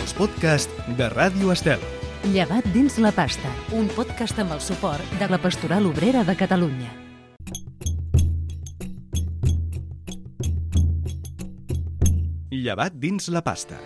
els podcasts de Ràdio Estel. Llevat dins la pasta, un podcast amb el suport de la Pastoral Obrera de Catalunya. Llevat dins la pasta.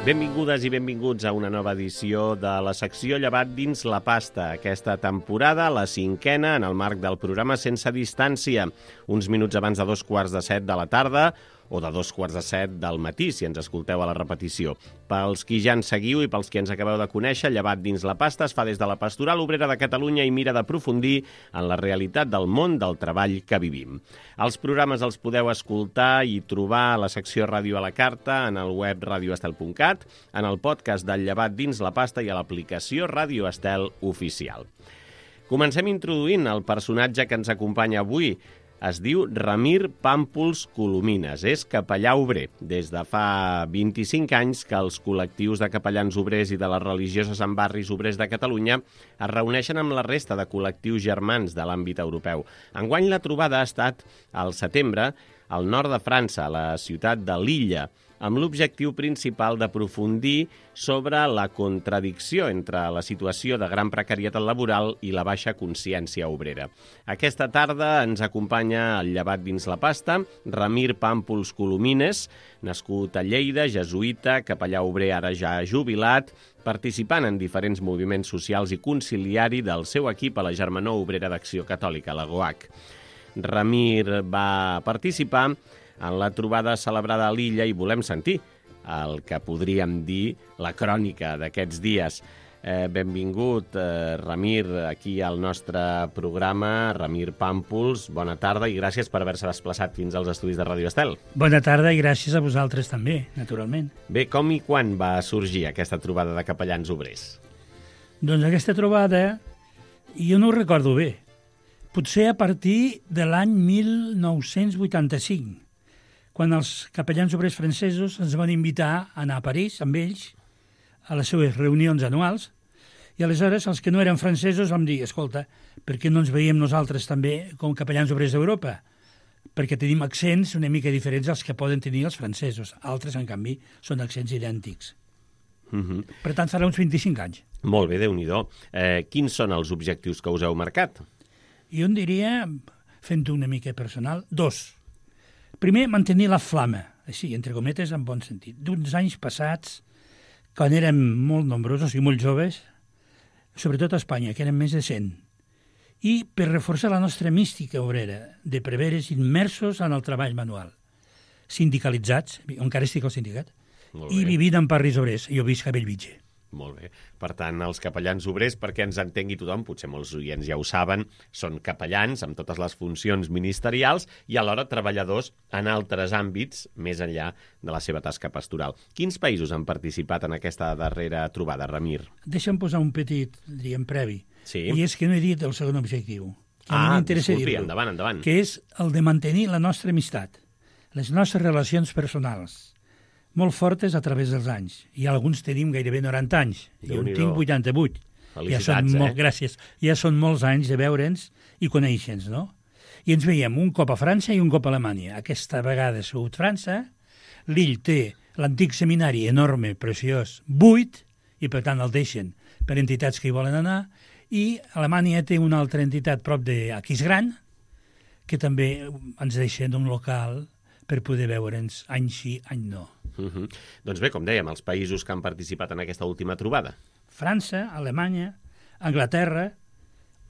Benvingudes i benvinguts a una nova edició de la secció Llevat dins la pasta. Aquesta temporada, la 5ª, en el marc del programa Sense Distància, uns minuts abans de 2:15 de la tarda o de 2:15 del matí, si ens escolteu a la repetició. Pels qui ja ens seguiu i pels qui ens acabeu de conèixer, Llevat dins la pasta es fa des de la Pastoral Obrera de Catalunya i mira d'aprofundir en la realitat del món del treball que vivim. Els programes els podeu escoltar i trobar a la secció Ràdio a la Carta, en el web radioestel.cat, en el podcast del Llevat dins la pasta i a l'aplicació Ràdio Estel Oficial. Comencem introduint el personatge que ens acompanya avui. Es diu Ramir Pàmpols Colomines, és capellà obrer. Des de fa 25 anys que els col·lectius de capellans obrers i de les religioses en barris obrers de Catalunya es reuneixen amb la resta de col·lectius germans de l'àmbit europeu. Enguany la trobada ha estat al setembre al nord de França, a la ciutat de Lilla, amb l'objectiu principal d'aprofundir sobre la contradicció entre la situació de gran precarietat laboral i la baixa consciència obrera. Aquesta tarda ens acompanya el Llevat dins la pasta, Ramir Pàmpols Colomines, nascut a Lleida, jesuïta, capellà obrer ara ja jubilat, participant en diferents moviments socials i conciliari del seu equip a la Germanor Obrera d'Acció Catòlica, la GOAC. Ramir va participar en la trobada celebrada a l'Illa i volem sentir el que podríem dir la crònica d'aquests dies. Benvingut, Ramir, aquí al nostre programa. Ramir Pàmpols, bona tarda i gràcies per haver-se desplaçat fins als estudis de Ràdio Estel. Bona tarda i gràcies a vosaltres també, naturalment. Bé, com i quan va sorgir aquesta trobada de capellans obrers? Doncs aquesta trobada jo no ho recordo bé. Potser a partir de l'any 1985, quan els capellans obrers francesos ens van invitar a anar a París amb ells a les seves reunions anuals, i aleshores els que no eren francesos vam dir, escolta, per què no ens veiem nosaltres també com capellans obrers d'Europa? Perquè tenim accents una mica diferents als que poden tenir els francesos. Altres, en canvi, són accents idèntics. Per tant, farà uns 25 anys. Molt bé, Déu-n'hi-do. Quins són els objectius que us heu marcat? Jo en diria, fent-ho una mica personal, 2. Primer, mantenir la flama, així, entre cometes, en bon sentit. D'uns anys passats, quan érem molt nombrosos i molt joves, sobretot a Espanya, que érem més de 100, i per reforçar la nostra mística obrera de preveres immersos en el treball manual, sindicalitzats, encara estic al sindicat, i vivint en barris obrers. Jo visc a Bellvitge. Molt bé. Per tant, els capellans obrers, perquè ens entengui tothom, potser molts oients ja ho saben, són capellans amb totes les funcions ministerials i alhora treballadors en altres àmbits més enllà de la seva tasca pastoral. Quins països han participat en aquesta darrera trobada, Ramir? Deixa'm posar un petit, diríem, previ. Sí. I és que no he dit el segon objectiu. Disculpi, endavant. Que és el de mantenir la nostra amistat, les nostres relacions personals, molt fortes a través dels anys. I alguns tenim gairebé 90 anys. Jo en tinc 88. Felicitats, Gràcies. Ja són molts anys de veure'ns i conèixer-nos, no? I ens veiem un cop a França i un cop a Alemanya. Aquesta vegada ha sigut França. L'Ill té l'antic seminari enorme, preciós, buit, i per tant el deixen per entitats que hi volen anar. I Alemanya té una altra entitat prop d'Aquisgrán, que també ens deixen un local per poder veure'ns any sí, any no. Doncs bé, com dèiem, els països que han participat en aquesta última trobada. França, Alemanya, Anglaterra,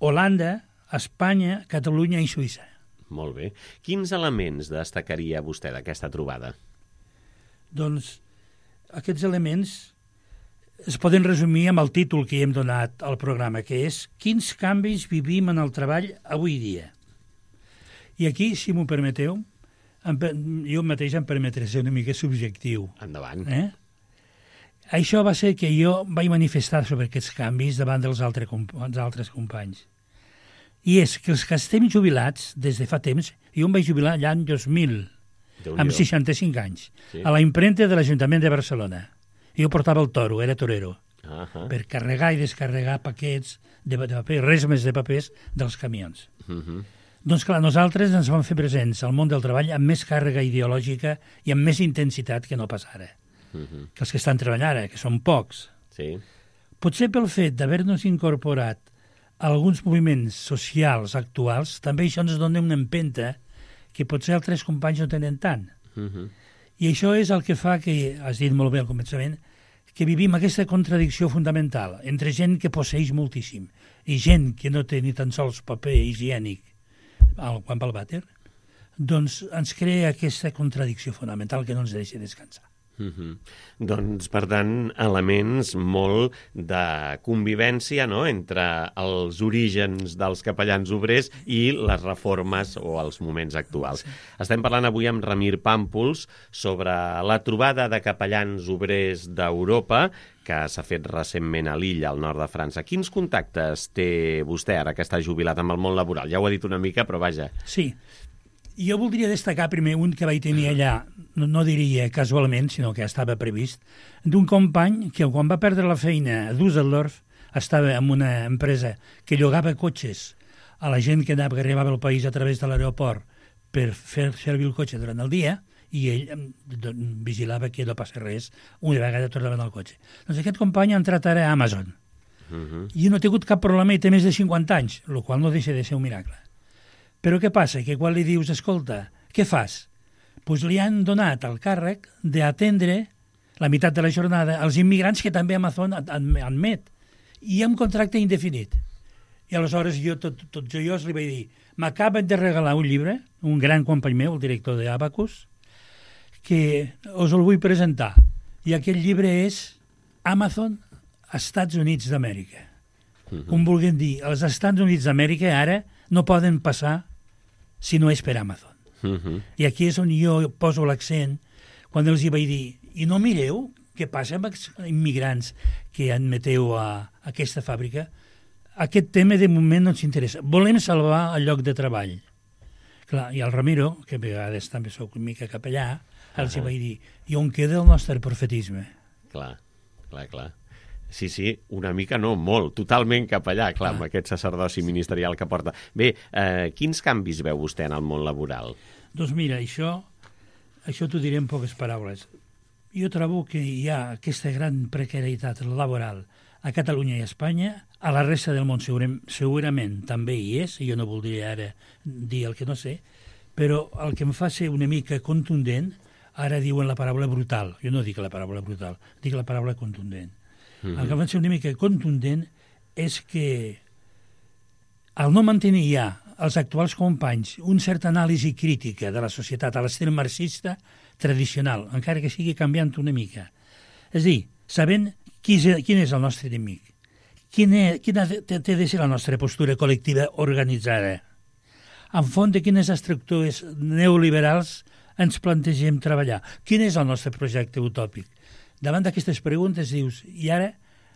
Holanda, Espanya, Catalunya i Suïssa. Molt bé. Quins elements destacaria vostè d'aquesta trobada? Doncs aquests elements es poden resumir amb el títol que hem donat al programa, que és Quins canvis vivim en el treball avui dia? I aquí, si m'ho permeteu, jo mateix em permetré ser una mica subjectiu. Endavant. Això va ser que jo vaig manifestar sobre aquests canvis davant dels altres companys. I és que els que estem jubilats des de fa temps, jo em vaig jubilar l'any 2000, amb 65 anys, a la impremta de l'Ajuntament de Barcelona. Jo portava el toro, era torero. per carregar i descarregar paquets de paper, res més de papers dels camions. Doncs clar, nosaltres ens vam fer presents al món del treball amb més càrrega ideològica i amb més intensitat que no pas ara. Que els que estan treballant ara, que són pocs. Sí. Potser pel fet d'haver-nos incorporat a alguns moviments socials actuals, també això ens dona una empenta que potser altres companys no tenen tant. I això és el que fa que, has dit molt bé al començament, que vivim aquesta contradicció fundamental entre gent que posseix moltíssim i gent que no té ni tan sols paper higiènic quan va al vàter, doncs ens crea aquesta contradicció fonamental que no ens deixa descansar. Doncs, per tant, elements molt de convivència, no?, entre els orígens dels capellans obrers i les reformes o els moments actuals. Sí. Estem parlant avui amb Ramir Pàmpols sobre la trobada de capellans obrers d'Europa que s'ha fet recentment a Lille, al nord de França. Quins contactes té vostè ara que està jubilat amb el món laboral? Ja ho ha dit una mica, però vaja. Sí. Jo voldria destacar primer un que vaig tenir allà, no diria casualment, sinó que estava previst, d'un company que quan va perdre la feina a Düsseldorf estava en una empresa que llogava cotxes a la gent que arribava al país a través de l'aeroport per fer servir el cotxe durant el dia i ell vigilava que no passés res una vegada tornaven al cotxe. Doncs aquest company ha entrat ara a Amazon i no ha tingut cap problema i té més de 50 anys, el qual no deixa de ser un miracle. Però què passa? Que quan li dius, escolta, què fas? Doncs li han donat el càrrec d'atendre la meitat de la jornada als immigrants que també Amazon admet, i amb contracte indefinit. I aleshores jo, tot joiós, li vaig dir, m'acaben de regalar un llibre, un gran company meu, el director d'Abacus, que us el vull presentar. I aquest llibre és Amazon, Estats Units d'Amèrica. Com vulguem dir, els Estats Units d'Amèrica ara no poden passar si no és per Amazon. I aquí és on jo poso l'accent quan els hi vaig dir, i no mireu què passa amb els immigrants que admeteu a aquesta fàbrica? Aquest tema de moment no ens interessa. Volem salvar el lloc de treball. Clar, i el Ramiro, que a vegades també soc una mica capellà, els hi vaig dir, i on queda el nostre profetisme? Clar. Sí, una mica no, molt, totalment capellà, clar, amb aquest sacerdoci ministerial que porta. Bé, quins canvis veu vostè en el món laboral? Doncs mira, això t'ho diré en poques paraules. Jo trobo que hi ha aquesta gran precarietat laboral a Catalunya i a Espanya, a la resta del món segurament també hi és, jo no voldria ara dir el que no sé, però el que em fa ser una mica contundent, ara diuen la paraula brutal, jo no dic la paraula brutal, dic la paraula contundent. El que va ser una mica contundent és que al no mantenir ja els actuals companys una certa anàlisi crítica de la societat a l'estil marxista tradicional, encara que sigui canviant una mica. És a dir, sabent quin és el nostre enemic, quina té de ser la nostra postura col·lectiva organitzada, en font de quines estructures neoliberals ens plantegem treballar, quin és el nostre projecte utòpic. Davant d'aquestes preguntes dius, i ara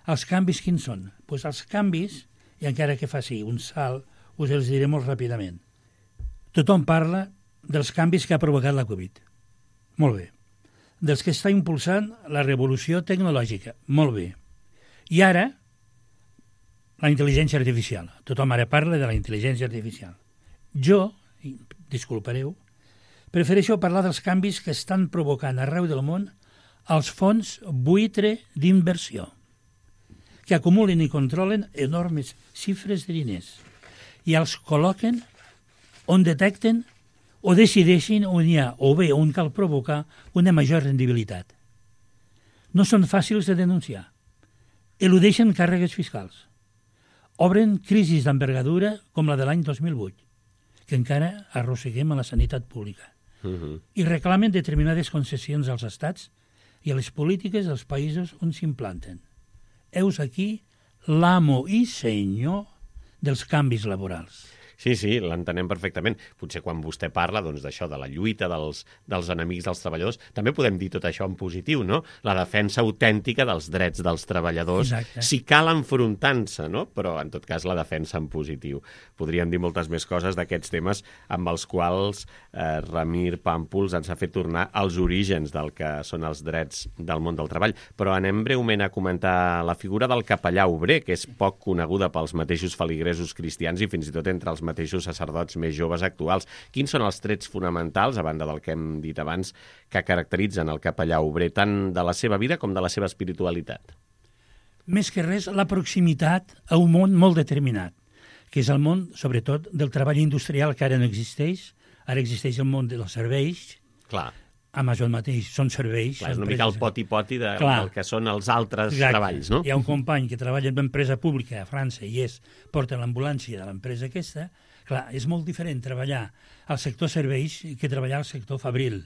els canvis quins són? Doncs els canvis, i encara que faci un salt, us els diré molt ràpidament. Tothom parla dels canvis que ha provocat la Covid. Molt bé. Dels que està impulsant la revolució tecnològica. Molt bé. I ara, la intel·ligència artificial. Tothom ara parla de la intel·ligència artificial. Jo, disculpareu, prefereixo parlar dels canvis que estan provocant arreu del món els fons buitre d'inversió, que acumulen i controlen enormes xifres de diners i els col·loquen on detecten o decideixin on hi ha o bé on cal provocar una major rendibilitat. No són fàcils de denunciar. Eludeixen càrregues fiscals. Obren crisis d'envergadura com la de l'any 2008, que encara arrosseguem a la sanitat pública. I reclamen determinades concessions als estats i a les polítiques dels països on s'implanten. Heus aquí l'amo i senyor dels canvis laborals. Sí, l'entenem perfectament. Potser quan vostè parla d'això, de la lluita dels enemics dels treballadors, també podem dir tot això en positiu, no? La defensa autèntica dels drets dels treballadors, si cal enfrontant-se, no? Però en tot cas la defensa en positiu. Podríem dir moltes més coses d'aquests temes amb els quals Ramir Pàmpols ens ha fet tornar als orígens del que són els drets del món del treball. Però anem breument a comentar la figura del capellà obrer, que és poc coneguda pels mateixos feligresos cristians i fins i tot entre els mateixos sacerdots més joves actuals. Quins són els trets fonamentals, a banda del que hem dit abans, que caracteritzen el capellà obrer tant de la seva vida com de la seva espiritualitat? Més que res, la proximitat a un món molt determinat, que és el món, sobretot, del treball industrial, que ara no existeix. Ara existeix el món dels serveis. Clar. Amazon mateix són serveis. Clar, és una mica el poti-poti del que són els altres treballs, no? Hi ha un company que treballa en una empresa pública a França i porta l'ambulància de l'empresa aquesta. Clar, és molt diferent treballar al sector serveis que treballar al sector fabril.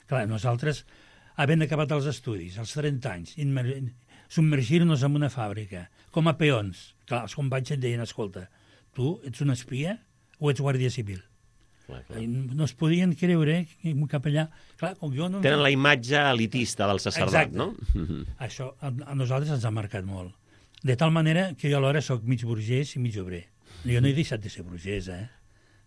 Clar, nosaltres, havent acabat els estudis, als 30 anys, submergir-nos en una fàbrica, com a peons. Clar, els companys et deien, escolta, tu ets un espia o ets guàrdia civil? Clar. No es podien creure que un capellà... Clar, com jo no... Tenen la imatge elitista del sacerdot, no? Això a nosaltres ens ha marcat molt. De tal manera que jo alhora soc mig burgès i mig obrer. Jo no he deixat de ser burgès,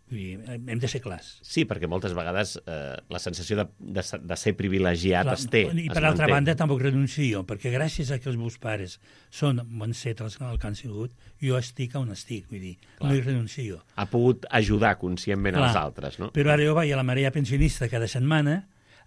Vull dir, hem de ser clars. Sí, perquè moltes vegades la sensació de ser privilegiat es té. I per altra banda tampoc renuncio, perquè gràcies a que els meus pares són bons cetres el que han sigut, jo estic on estic, vull dir, no hi renuncio. Ha pogut ajudar conscientment als altres, no? Però ara jo vaig a la marea pensionista cada setmana,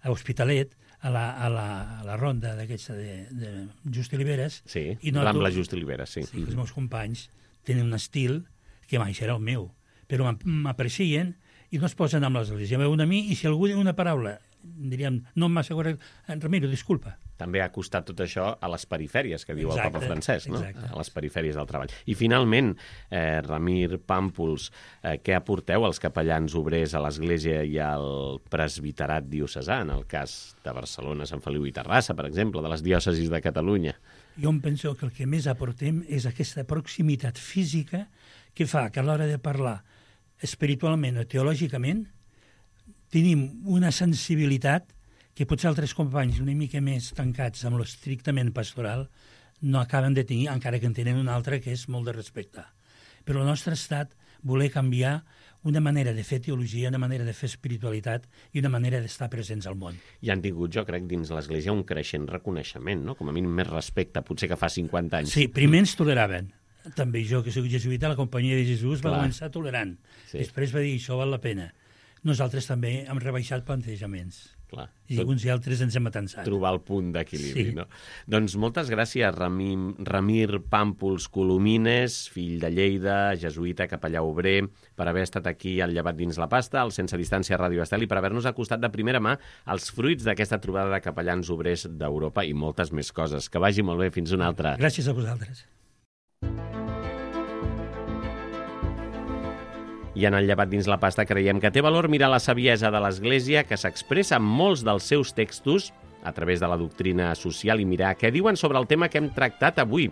a Hospitalet, a la ronda d'aquesta de Just Oliveres. Sí, Rambla Just Oliveres, sí. Els meus companys tenen un estil que mai serà el meu, però m'aprecien i no es posen amb l'església. Em veuen a mi i si algú diu una paraula, diríem, no m'ha correcte, Ramiro, disculpa. També ha costat tot això a les perifèries, que diu el Papa Francesc, no? Exacte. A les perifèries del treball. I finalment, Ramir Pàmpols, què aporteu als capellans obrers a l'Església i al presbiterat diocesà, en el cas de Barcelona, Sant Feliu i Terrassa, per exemple, de les diòcesis de Catalunya? Jo em penso que el que més aportem és aquesta proximitat física que fa que a l'hora de parlar espiritualment o teològicament tenim una sensibilitat que potser altres companys una mica més tancats amb l'estrictament pastoral no acaben de tenir, encara que en tenen una altra que és molt de respectar. Però el nostre estat voler canviar una manera de fer teologia, una manera de fer espiritualitat i una manera d'estar presents al món. I han tingut, jo crec, dins l'Església un creixent reconeixement, no? Com a mínim més respecte, potser que fa 50 anys. Sí, primer ens toleraven. També jo, que soc jesuïta, la Companyia de Jesús va començar tolerant. Sí. Després va dir, això val la pena. Nosaltres també hem rebaixat plantejaments. Clar. I uns i altres ens hem atansat. Trobar el punt d'equilibri, no? Doncs moltes gràcies, Ramir Pàmpols Colomines, fill de Lleida, jesuïta, capellà obrer, per haver estat aquí al Llevat dins la pasta, al Sense Distància Ràdio Estel, i per haver-nos acostat de primera mà els fruits d'aquesta trobada de capellans obrers d'Europa i moltes més coses. Que vagi molt bé, fins una altra. Gràcies a vosaltres. I en el Llevat dins la pasta creiem que té valor mirar la saviesa de l'Església que s'expressa en molts dels seus textos a través de la doctrina social i mirar què diuen sobre el tema que hem tractat avui.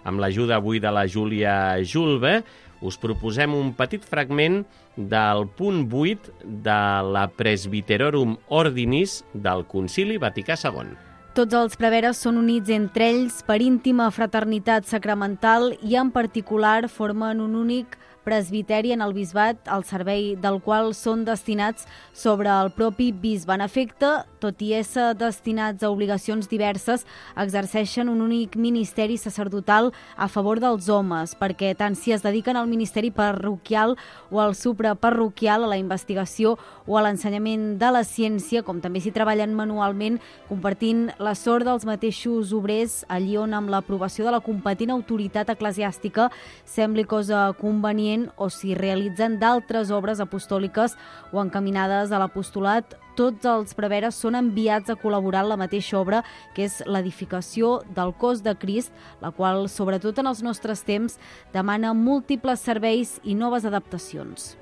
Amb l'ajuda avui de la Júlia Julve, us proposem un petit fragment del punt 8 de la Presbyterorum Ordinis del Concili Vaticà II. Tots els preveres són units entre ells per íntima fraternitat sacramental i en particular formen un únic presbiteri en el bisbat, al servei del qual són destinats sobre el propi bisbe. En efecte, tot i ésser destinats a obligacions diverses, exerceixen un únic ministeri sacerdotal a favor dels homes, perquè tant si es dediquen al ministeri parroquial o al supraparroquial, a la investigació o a l'ensenyament de la ciència, com també s'hi treballen manualment, compartint la sort dels mateixos obrers, allí on amb l'aprovació de la competent autoritat eclesiàstica sembli cosa convenient o si realitzen d'altres obres apostòliques o encaminades a l'apostolat, tots els preveres són enviats a col·laborar en la mateixa obra, que és l'edificació del cos de Crist, la qual, sobretot en els nostres temps, demana múltiples serveis i noves adaptacions.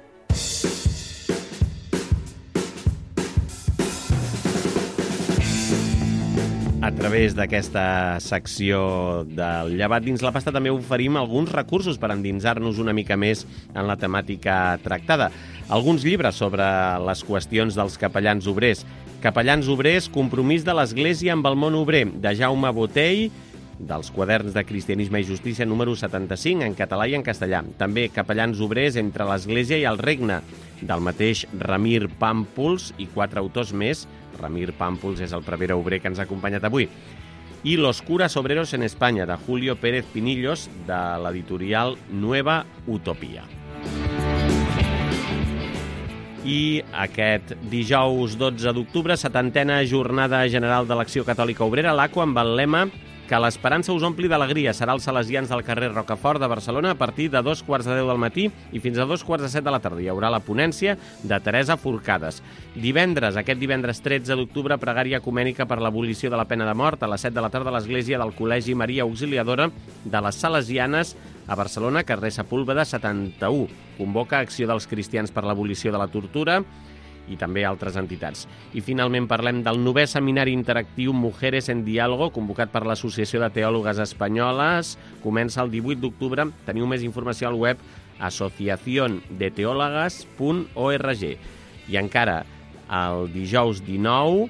través d'aquesta secció del llevat dins la pasta també oferim alguns recursos per endinsar-nos una mica més en la temàtica tractada. Alguns llibres sobre les qüestions dels capellans obrers. Capellans obrers, compromís de l'Església amb el món obrer, de Jaume Botell, dels quaderns de Cristianisme i Justícia número 75, en català i en castellà. També Capellans obrers entre l'Església i el Regne, del mateix Ramir Pàmpols i 4 autors més. Ramir Pàmpols és el prevere obrer que ens ha acompanyat avui. I Los curas obreros en España, de Julio Pérez Pinillos, de l'editorial Nueva Utopia. I aquest dijous 12 d'octubre, 70a Jornada General de l'Acció Catòlica Obrera, l'ACO, amb el lema que l'esperança us ompli d'alegria. Serà als Salesians del carrer Rocafort de Barcelona a partir de 2:45 del matí i fins a 2:45 de la tarda. Hi haurà la ponència de Teresa Forcades. Aquest divendres 13 d'octubre, pregària ecumènica per l'abolició de la pena de mort a les 7 de la tarda a l'Església del Col·legi Maria Auxiliadora de les Salesianes a Barcelona, carrer Sepúlveda 71. Convoca Acció dels Cristians per l'abolició de la tortura i també altres entitats. I finalment parlem del 9è Seminari Interactiu Mujeres en Diálogo, convocat per l'Associació de Teòlogues Espanyoles. Comença el 18 d'octubre. Teniu més informació al web asociaciondeteólogas.org. I encara el dijous 19,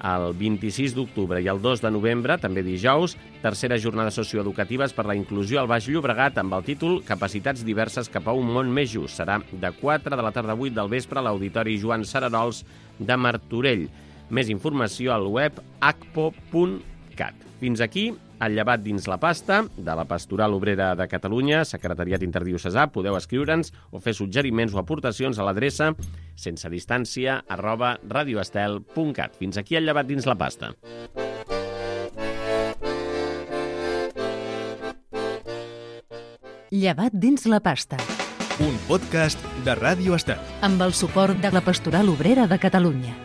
el 26 d'octubre i el 2 de novembre, també dijous, tercera jornada socioeducatives per la inclusió al Baix Llobregat amb el títol Capacitats diverses cap a un món més just. Serà de 4 de la tarda a 8 del vespre a l'Auditori Joan Sararols de Martorell. Més informació al web acpo.cat. Fins aquí el llevat dins la pasta de la Pastoral Obrera de Catalunya, Secretariat Interdiocesà. Podeu escriure'ns o fer suggeriments o aportacions a l'adreça sensedistància@radioestel.cat. Fins aquí el llevat dins la pasta. Llevat dins la pasta. Un podcast de Ràdio Estel. Amb el suport de la Pastoral Obrera de Catalunya.